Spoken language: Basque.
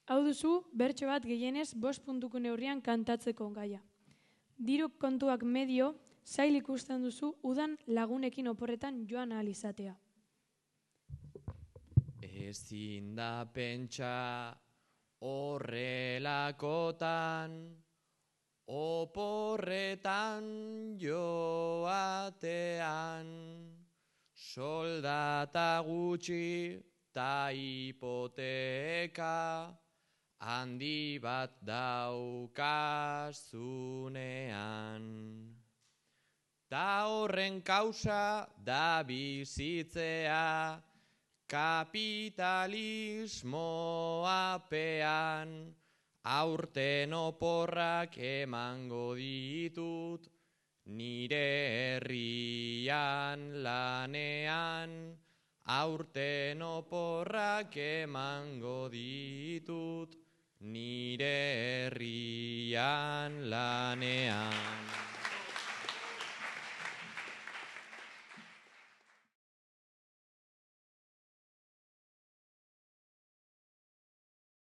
Hau duzu, bertso bat gehienez 5 puntuko neurrian kantatzeko gaia. Diru kontuak medio, zail ikusten duzu udan lagunekin oporretan joan ahal izatea. Ezin da pentsa horrelakotan, oporretan joatean, soldata gutxi ta hipoteka, handi bat daukazunean. Ta horren kausa da bizitzea, kapitalismoapean, aurten oporrak emango ditut, nire herrian lanean, aurten oporrak emango ditut, nire herrian lanean.